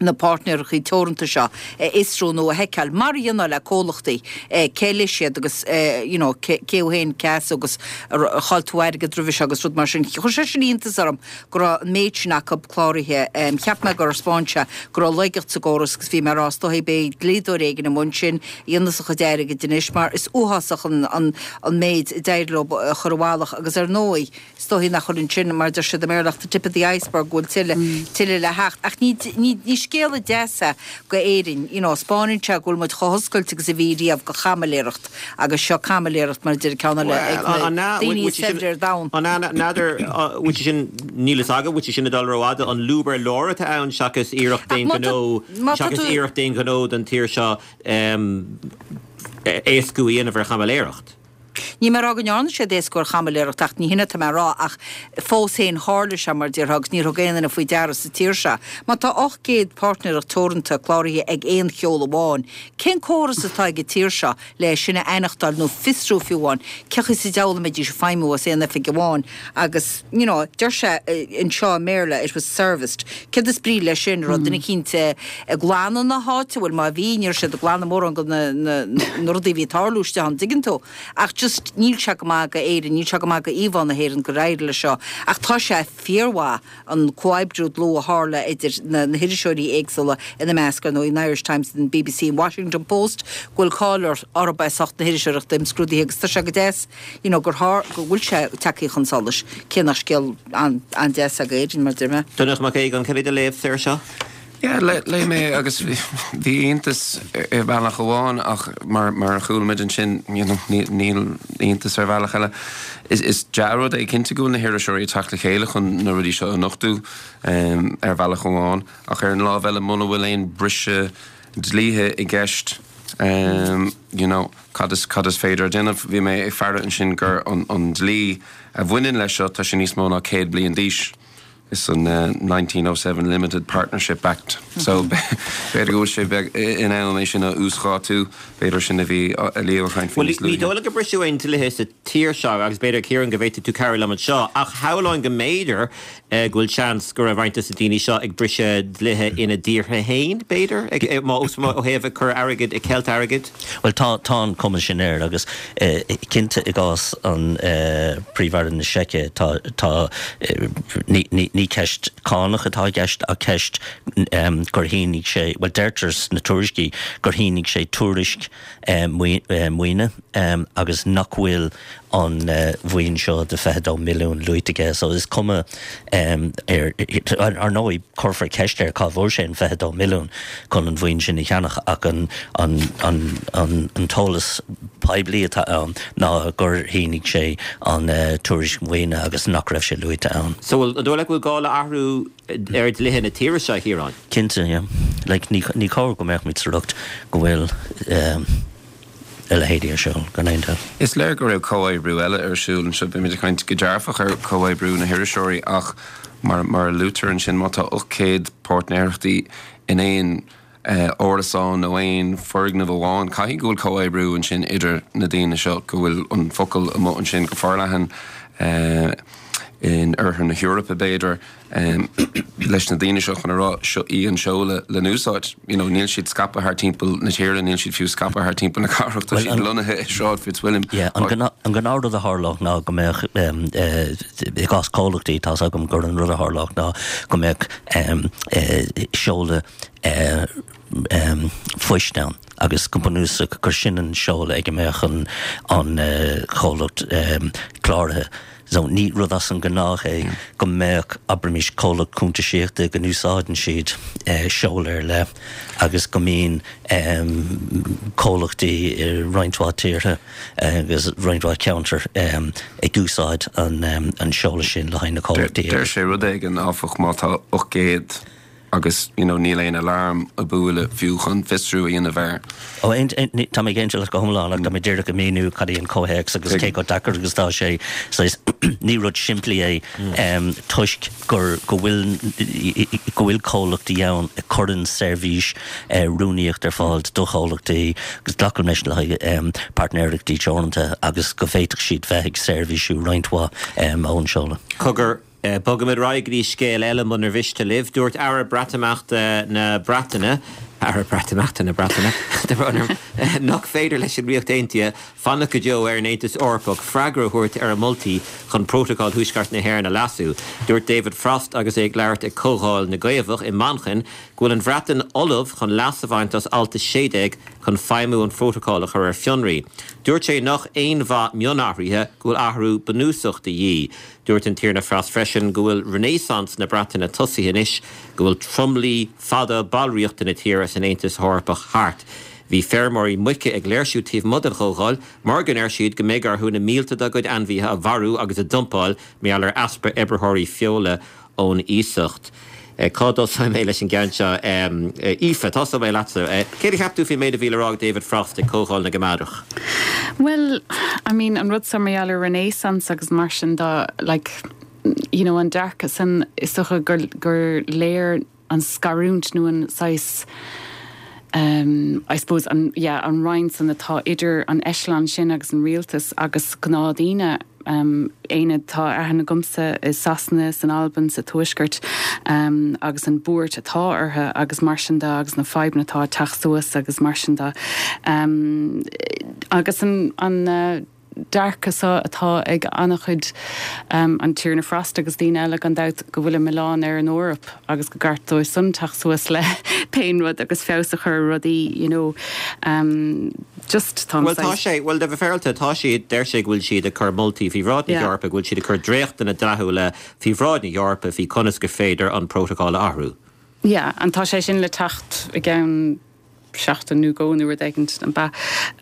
na páirtnéireachtaí teoranta seo a fhiosrú nó a sheiceáil, mar a dhéanfá le comhlachtaí, cé leis iad agus you know cé ó shin cé as agus ar chaill tú airgead roimhe seo agus rud mar sin. Chuir sé sin iontas orm go raibh an méid sin acu cláraithe. Cheap mé gur thaispeáin sé go raibh laigeacht sa gcóras agus bhí mé ag rá is dóigh beidh dlíodóir éigin i mbun sin a dhéanfas a chuid airgid anois mar is uafásach an an méid a d'éirigh leo a chur i bhfalach agus ar ndóigh Is dóigh nach bhfuil ansin, mar a deir siad i mBéarla, ach the tip of the iceberg, go bhfuil tuilleadh, tuilleadh le theacht. Ach ní, ní, ní scéala deas é go Éirinn, you know, 'spáineann sé go bhfuil muid chomh hoscailte agus a bhí riamh go chaimiléireacht agus seo caimiléireacht, mar a deir ceann eile, ag na daoine is saibhre ar domhan. An ea, n'fheadar, bhfuil sé sin, níl fhios agam, bhfuil sé sin ag dul rófhada, an lúb ar lár atá ann seachas iarracht d'aon ghnó, seachas iarracht d'aon ghnó don tír seo éascú a dhéanamh ar chaimiléireacht? Níl mé ag rá go ndearna siad éascú ar chaimiléireacht ach ní hin atá mé a rá ach fós féin tharla sé mar a déarfá agus níor thug aon duine faoi deara sa tír seo. Má tá ocht gcéad páirtnéireacht teoranta cláraithe ag aon sheoladh amháin, cén córas atá ag an tír seo le sin a aithneachtáil nó fiosrú fiú amháin cé chaoi sa diabhal a mbeidís ag feidhmiú as aon oifig amháin agus you know deir sé anseo i mBéarla it was serviced. Céard is brí leis sin? Raibh duine eicínt ag glanadh na háite? Bhuel má bhí ní raibh siad ag glanadh mórán de na rudaí a bhí ag tarlú istigh ann, dtuigeann tú? Ach just níl sé go maith go Éirinn, níl sé go maith go íomhá na hÉireann gur éirigh leis seo. Ach tá sé fíormhaith an comhoibriú dlúth a tharla idir na na hiriseoirí éagsúla, ina measc, ar ndóigh, an Irish Times, an bbc, an Washington Post, go bhfuil cáil orthu as ucht na hiriseoireachta imscrúdaithe agus tá sé go deas you know gur thar, go bhfuil sé tagtha chun solais, cé nach scéal an-deas é go Éirinn, mar a deir mé. Donnchadh Mac Aogáin, cad é do léamh air seo? Yeah, léigh mé agus bhí iontas ar bhealach amháin ach mar mar a chuala muid ansin, you know, níl iontas ar bhealach eile. Is is dea-rud é cinnte go bhfuil na hiriseoirí ag teacht le chéile chun na rudaí seo a nochtadh ar bhealach amháin ach ar an lámh eile muna bhfuil aon briseadh dlíthe i gceist, Um, you know, cad is cad is féidir déanamh bhí mé ag faire ansin gur an, an dlí a bhaineann leis seo tá sé níos mó ná céad bliain d'aois. Is an uh, nineteen oh seven Limited Partnership Act. So b'fhéidir go bhfuil sé beag in am é sin a uasdátú, b'fhéidir sin a bhí a Leo ag caint faoi Bhuel, níos ní luaithe. dóigh liom gur briseadh aon dlíthe sa tír seo agus b'fhéidir Ciarán go bhféadfaidh tú cabhrú liom anseo, ach shamhlóinn go mb'fhéidir eh, go bhfuil seans go raibh roinnt de na daoine seo ag briseadh dlíthe ina dtíortha féin, b'fhéidir, ag, eh, má, má, ó thaobh ag cur airgid, ag ceilt airgid. Bhuel, tá, tá an cuma sin air agus eh, cinnte i gcás an eh, Príomh-Aire na Seice tá, tá eh, ní, ní, ní ceist cánach atá i gceist ach ceist um, gur shínigh sé, well deirtear sna tuairiscí gur shínigh sé tuairisc eh, maoi- eh, maoine um, agus nach bhfuil an uh, mhaoin seo de fiche dó milliún luaite aige, so is cuma um, ar, ar, ar ndóigh cuirfear ceist air cá bhfuair sé an fiche dó milliún chun an mhaoin sin a cheannach ach an, an, an, an, an t-eolas poiblí atá ann ná gur shínigh sé an uh, tuairisc maoine agus nach raibh sé luaite ann. So bhfuil, an dóigh leat go bhfuil gá le athrú ar dlíthe na tíre seo, Ciarán? Cinnte, yeah. Like, ní, ní cóir go mbeadh muid sa riocht go bhfuil um, a leithéidí ar siúl gan aon dabht. Is léir go raibh comhoibriú eile ar siúl anseo, bímid ag caint go dearfach ar comhoibriú na hiriseoirí ach mar, mar a luaitear ansin má tá ocht céad páirtnéireachtaí in aon eh, árasán nó aon foirgneamh amháin, caithfidh go bhfuil comhoibriú ansin idir na daoine seo, go bhfuil an focal amuigh ansin go forleathan eh, in oirthear na hEorpa b'fhéidir um, leis na daoine seo chun a rá seo í an seoladh le n-úsáid. You know, níl siad scaipthe thar timpeall na tíre, níl siad fiú scaipthe thar timpeall na cathrach, tá Well, siad an- lonnaithe i Sráid Fitzwilliam. Yeah, an gná- an gnáthrud a tharlódh ná go mbeadh um, eh, i gcás comhlachtaí tá agam gur an rud a tharlódh ná go mbeadh um, eh, seoladh eh, um, poist ann agus go bunúsach gur sin an seoladh ag go mbeadh an, an uh, comhlacht um, cláraithe. So ní rud as an gnách é go mbeadh abraimis comhlacht cuntasaíochta go n-úsáideann siad eh, seoladh ar leith agus go mbíonn um, comhlachtaí i roinnt mhaith tíortha agus roinnt mhaith ceantar um, ag úsáid an, um, an seoladh sin le haghaidh na comhlachtaí. Deir sé rud éigin áfach má tá ocht gcéad agus you know, níl aon alarm ag bualadh fiú chun fiosrú a dhéanamh air. Ó aon- aon- ní- tá mé ag aontú leat go hiomlán ach tá mé díreach ag míniú cad é an comhthéacs agus cé chomh deacair agus tá sé so is ní rud simplí é um, toisc gur go bhfuil go bhfuil comhlachtaí ann a chuireann seirbhís uh, rúnaíocht ar fáil do chomhlachtaí agus glacaim leis le haghaidh um, páirtnéireachtaí teoranta agus go bhféadfadh siad bheith ag seirbhísiú roinnt mhaith um, ón seoladh. Cogar eh, bogaimid ar aghaidh go dtí scéal eile munar mhiste libh, dúirt Aire Breatimeachta na Breataine, Aire Breatimeachta na Breataine, de bhronn, eh, nach féidir leis an Ríocht Aontaithe fanacht go deo ar an Aontas Eorpach freagra a thabhairt ar a moltaí chun Prótacal Thuaisceart na hÉireann a leasú. Dúirt David Frost agus é ag labhairt ag Comhdháil na gCaomhach i Manchain go bhfuil an Bhreatain ullamh chun leas a bhaint as alt a sé déag chun feidhmiú an phrótacail a chur ar fionraí. Dúirt sé nach aon mhaith mionathruithe go bhfuil athrú bunúsach de dhíth. Dúirt an Tiarna Frost freisin go bhfuil Renaissance na Breataine tosaithe anois, go bhfuil tromluí fada ballraíochta na tíre san Aontas Eorpach thart. Bhí feirmeoirí muice ag léirsiú taobh amuigh den chomhdháil, mar go ndeir siad go mbeidh orthu na mílte dá gcuid ainmhithe a mharú agus a dumpáil mar gheall ar easpa oibritheoirí feola ón iasacht. Eh, cá dtosóidh mé leis an gceann seo um, eh, Aoife, tosóidh mé leatsa. Eh, Céard a cheap tú faoin méid a bhí le rá ag David Frost ag Comhdháil na gCoimeádach? Well, I mean, an rud mar gheall ar Renaissance agus mar sin de like, you know, an dearcadh san is dócha gur, gur léir an scarúint nó an saghas um, I suppose an, yeah, an roinnt san atá idir an echelon sin agus an rialtas agus gnáthdaoine um, aonad tá aithne agamsa i Sasana san Albain sa Tuaisceart um, agus an buairt atá orthu agus mar sin de agus na fadhbanna atá teacht suas agus mar sin de. Um, agus an, an uh, dearcadh seo atá ag an-chuid um, an Tiarna Frost agus daoine eile gan dabht go bhfuil an milleán ar an Eoraip agus go gceart dóibh san teacht suas le pé rud agus feabhas a chur rudaí you know, um, just tá Well tá sé well de bheith féaráilte tá siad deir sé go bhfuil siad ag cur moltaí faoi bhráid na Yeah. hEorpa go bhfuil siad ag cur dréachtanna dlíthiúla faoi bhráid na hEorpa faoi conas gur féidir an prótacal a athrú. Yeah, an tá sé sin le teacht i gceann seachtain nó dhó nó rud éigin an ba.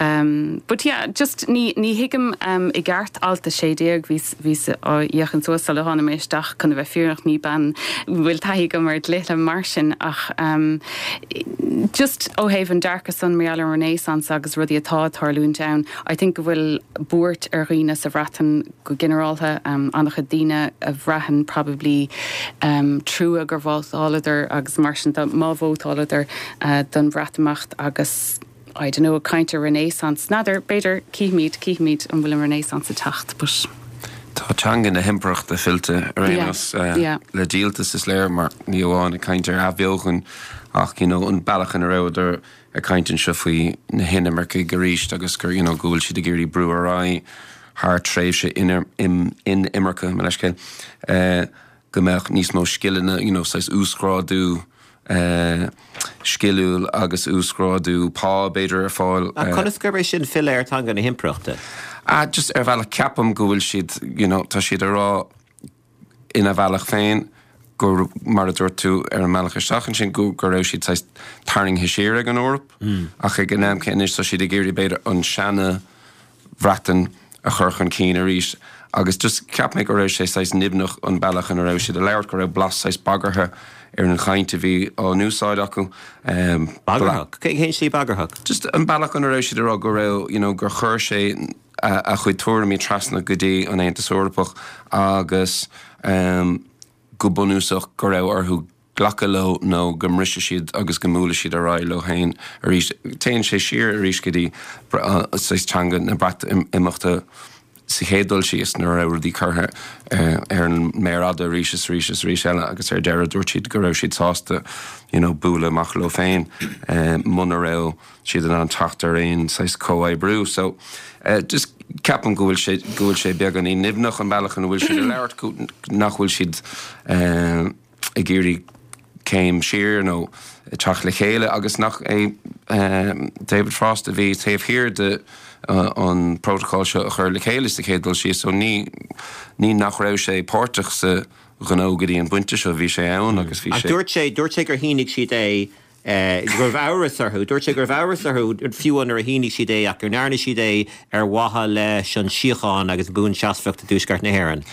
Um, but yeah, just ní ní thuigim um, i gceart alt a sé déag bhí bhí á fhéachaint suas le hána mé isteach chun bheith fírinneach ní bean bhfuil taithí agam ar dlíthe mar sin ach um, just ó thaobh an dearcadh san mar an Renaissance agus rudaí atá ag tarlúint ann. I think go bhfuil buairt ar dhaoine sa Bhreatain go ginearálta um, an-chuid daoine a bhraitheann probably um, trua gur vótáladar agus mar sin má vótáladar uh, don Bhreatimeacht agus I don't know caint ar Renaissance n'fheadar b'fhéidir cífimid cífimid an bhfuil an Renaissance ag teacht but Tá teanga na himpireachta fillte ar aon uh, le díoltas is léir mar ní amháin ag caint ar athbheochan ach you know, an bealach ina rabhadar ag caint anseo faoi na hinimircigh arís agus gur you know, go bhfuil siad ag iarraidh brú ar aghaidh thar tréimhse inimirce me leis uh, go mbeadh níos mó scileanna you know, saghas uasghrádú Uh, sciliúil agus uasghrádú pá b'fhéidir ar fáil. Uh, Conas gurb é sin filleadh ar teanga na himpireachta? Ah, just ar bhealach ceapaim go bhfuil siad you know, tá siad ag rá ina bhealach féin gur mar a dúirt tú ar an mbealach isteach ansin go go raibh siad saghas tarraingthe siar ag an Eoraip mm. ach ag an am céanna tá siad ag iarraidh b'fhéidir an seana-Bhreatain a chur chun cinn arís. agus just cheap mé go raibh sé saghas nimhneach an bealach ina raibh siad ag labhairt go raibh blas saghas bagartha ar an chaint a bhí á n-úsáid acu. Um, bagarthach Cén slí bagarthach? Just an bealach ina raibh siad ag rá go raibh you know, gur chuir sé a, a chuid tuairimí trasna go dtí an Aontas Eorpach agus um, go bunúsach go raibh orthu glacadh leo nó go mbrisfidh siad agus go mbuailfidh siad ar aghaidh leo féin arís téann sé siar arís go dtí saghas teanga na Breatimeachta sa chéad dul síos nuair a raibh rudaí curtha ar an méar fhada arís is arís is arís eile agus ar deireadh dúirt siad go raibh siad sásta you know, bualadh amach leo féin muna raibh siad in ann teacht ar aon saghas comhoibriú. So uh, just ceapaim go bhfuil sé go bhfuil sé beagáinín nimhneach an bealach ina bhfuil siad ag labhairt nach bhfuil siad uh, ag iarraidh céim siar nó teacht le chéile agus nach é um, David Frost a bhí taobh thiar de uh, an protocol seo a chur le chéile sa chéad dul síos so ní ní nach raibh sé páirteach sa ghnó go dtí an pointe seo bhí sé ann agus bhí sé. Dúirt sé dúirt sé gur shínigh siad é eh, go raibh amhras orthu, dúirt sé go raibh amhras orthu fiú nuair a shínigh siad é ach gur ndearna siad é ar mhaithe leis an síocháin agus buanseasmhacht i dtuaisceart na hÉireann.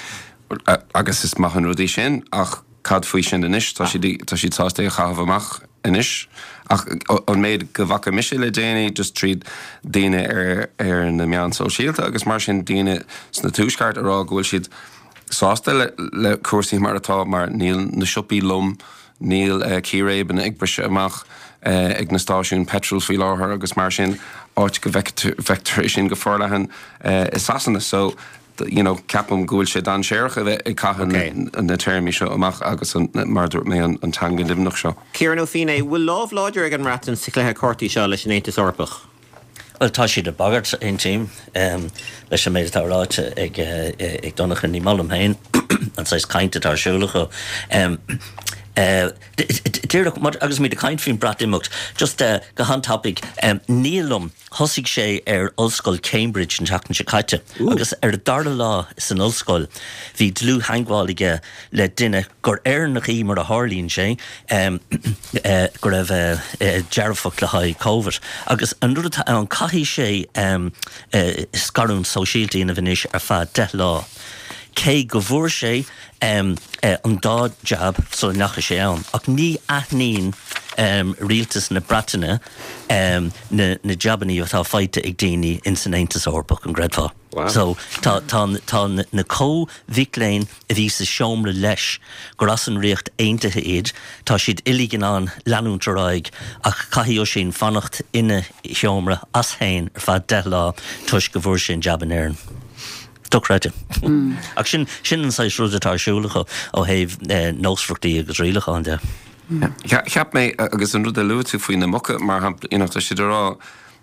Agus is maith an rud é sin ach cad faoi sin anois tá siad tá siad sásta a chaitheamh amach anois ach an méid go bhfaca mise le déanaí just tríd daoine ar ar na meáin sóisialta agus mar sin daoine sna tuaisceart ag rá go bhfuil siad sásta le, le cúrsaí mar atá mar níl na siopaí lom níl uh, círéibeanna ag briseadh amach uh, ag na stáisiúin petrol faoi láthair agus mar sin áit go bhfeictear sin go forleathan uh, i Sasana so you know, ceapaim go bhfuil sé dainséarach a bheith ag caitheamh okay. na téarmaí seo amach agus an, mar dúirt mé an, an teanga nimhneach seo. Ciarán Ó Feinneadha, bhfuil lámh láidir ag an mBreatain sa chluiche cártaí seo leis an Aontas Eorpach? Well tá siad ag bagairt aontaím um, leis an méid atá ráite ag, uh, ag Donncha ní maith liom féin an saghas cainte atá ar siúl acu. Um, Uh, Díreach agus muid ag caint faoin Breatimeacht just uh, go han-tapaidh um, nílm thosaigh sé ar ollscoil Cambridge an tseachtain seo caite agus ar a dara lá san ollscoil bhí dlúth-theagmháil aige le duine gur Éireannach í mar a tharlaíonn sé um, uh, go raibh uh, uh, dearfach le haghaidh COVID agus an rud atá ann caithfidh sé um, uh, scarúint sóisialta a dhéanamh anois ar feadh deich lá. Cé go bhfuair sé um, uh, an dá jab sula ndeachaigh sé ann, ach ní aithníonn um, rialtas na Breataine um, na, na jabanna atá faighte ag daoine in san Aontas Eorpach an gcreidfeá. Wow. So tá, tá, tá na comh-mhic léinn a bhí sa seomra leis gur as an Ríocht Aontaithe iad, tá siad uilig in ann leanúint ar aghaidh ach caithfidh Oisín fanacht ina sheomra as féin ar feadh deich lá toisc go bhfuair sé an jab in Éirinn. Dochreidte. Mm. Ach sin sin an saghas rud atá ar siúl acu ó thaobh eh, nósmhaireachtaí agus rialacháin de. Cheap mé agus an rud a luaigh tú faoi na muca mar shampla you know, tá siad ag rá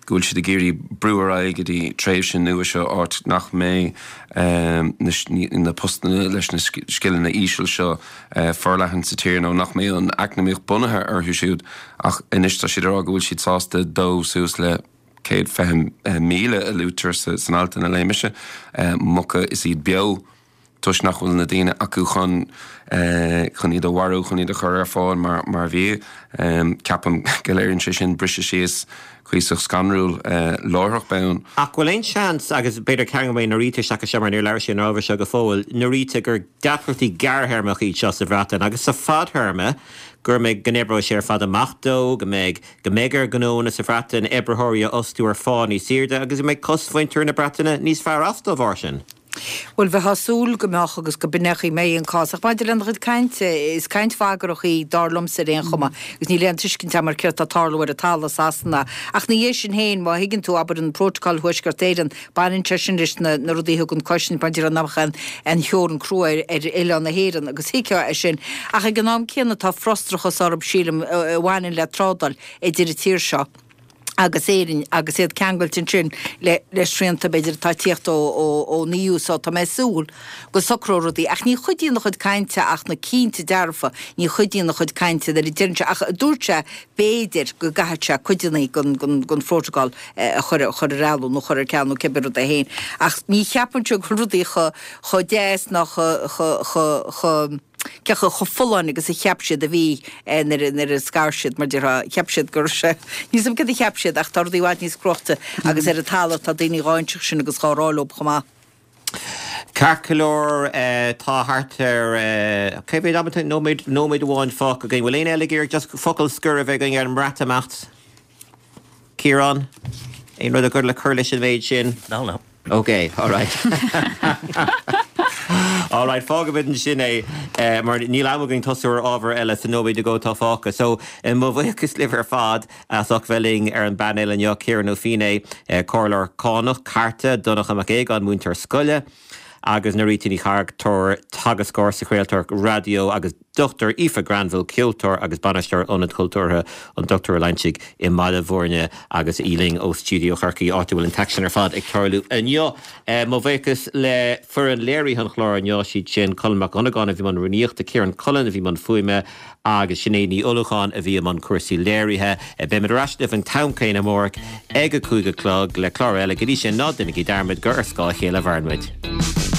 go bhfuil siad ag iarraidh brú ar aghaidh go dtí tréimhse nua seo áit nach mbeidh um, na, na postanna leis na scileanna íseal seo uh, forleathan sa tír nó nach mbeidh an eacnamaíocht bunaithe orthu siúd ach anois tá siad ag rá go bhfuil siad sásta dó suas le céad fiche míle a luaitear san alt a léigh mise muca is iad beo toisc nach bhfuil na daoine acu chun chun iad a mharú, chun iad a chur ar fáil mar mar bhia. Ceapaim go léiríonn sé sin briseadh síos cuíosach scanrúil láithreach bonn. Ach bhfuil aon seans, agus b'fhéidir cearn go mbeidh Norita isteach anseo mar níor labhair sí an ábhar seo go fóill, Norita, gur deacrachtaí gearrthéarmacha iad seo sa Bhreatain agus sa fadthéarma go mbeidh, go n-oibreoidh sé ar fad amach dó, go mbeidh, go mbeidh ar ghnónna sa Bhreatain oibritheoirí a fhostú ar phá níos airde agus go mbeidh cosmhuintir na Breataine níos fearr as dá bharr sin. Bhuel, bheifeá ag súil go mbeadh agus go b'in é an chaoi a mbeidh an cás. Ach maidir lena chuid cainte, is caint bhagrach í, dar liomsa ar aon chuma, agus níl aon tuiscint agam ar céard atá ag tarlú ar an talamh i Sasana. Ach ina dhiaidh sin féin, má thuigeann tú, abair, an Prótacal Thuaisceart Éireann, baineann sé sin leis na rudaí a thugann cosaint maidir le nach mbeadh aon theorainn crua ar oileán na hÉireann, agus thuigfeá é sin. Ach ag an am céanna tá frustrachas orthu, sílim, a bhaineann le trádáil idir an tír seo agus Éirinn agus iad ceangailte ansin le le srianta b'fhéidir atá ag tíocht ón EU so tá mé ag súil go socróidh rudaí ach ní chuidíonn a chuid cainte ach na cinnte dearfa, ní chuidíonn a chuid cainte nuair a deireann sé ach dúirt sé b'fhéidir go gcaithfidh sé cuideanna den den den phrótacal a chur a chur ar athló nó chur ar ceal nó cibé rud é féin ach ní cheapaimse go bhfuil rudaí chomh chomh deas ná chomh chomh chomh chomh Cé chomh folláin agus a cheap siad a bhí nuair a scar siad, mar déarfá, cheap siad go raibh sé, níl 's agam céard a cheap siad ach tá rudaí i bhfad níos cruaichte agus ar an talamh tá daoine dhá inseacht sin agus dhá rá leob chomh maith. Ceart go leor, tá thart ar, cé mhéad am atá, nóiméad, nóiméad amháin fágtha againn. Bhfuil éinne eile ag iarraidh just focal scoir a bheith againn ar an mBreatimeacht? Ciarán? Aon rud agat le cur leis an mhéid sin? No, no. Ok, alright. Alright, fágfaimid ansin é mar níl am againn tosú ar ábhar eile sa nóiméad nó dhó atá fágtha. So, mo bhuíochas libh ar fad as ucht bheith linn ar an bpainéal inniu, Ciarán Ó Feinneadha, Comhairleoir Cánach, Cairte, Donncha Mac Aogáin, múinteoir scoile, agus Norita Ní Chartúir, teagascóir sa chraoltóireacht raidió agus Dochtúir Aoife Granville, ceoltóir agus bainisteoir Ionad Cultúrtha an Dochtúra Loingsigh i mBaile Bhúirne agus í linn ó Stiúideo Chorcaí, áit a bhfuil an t-aicsean ar fad ag tarlú inniu. Mo bhuíochas le foireann léirithe an chláir inniu, siad sin Colm Mac Dhonnagáin a bhí i mbun rúnaíochta, Ciarán Cullen a bhí i mbun fuaime agus Sinéad Ní Ullúcháin a bhí i mbun cúrsaí léirithe. Beimid ar ais libh an t-am céanna amárach ag a cúig a chlog le clár eile. Go dtí sin, ná déanaigí dearmad gur ar scáth a chéile a mhaireann muid.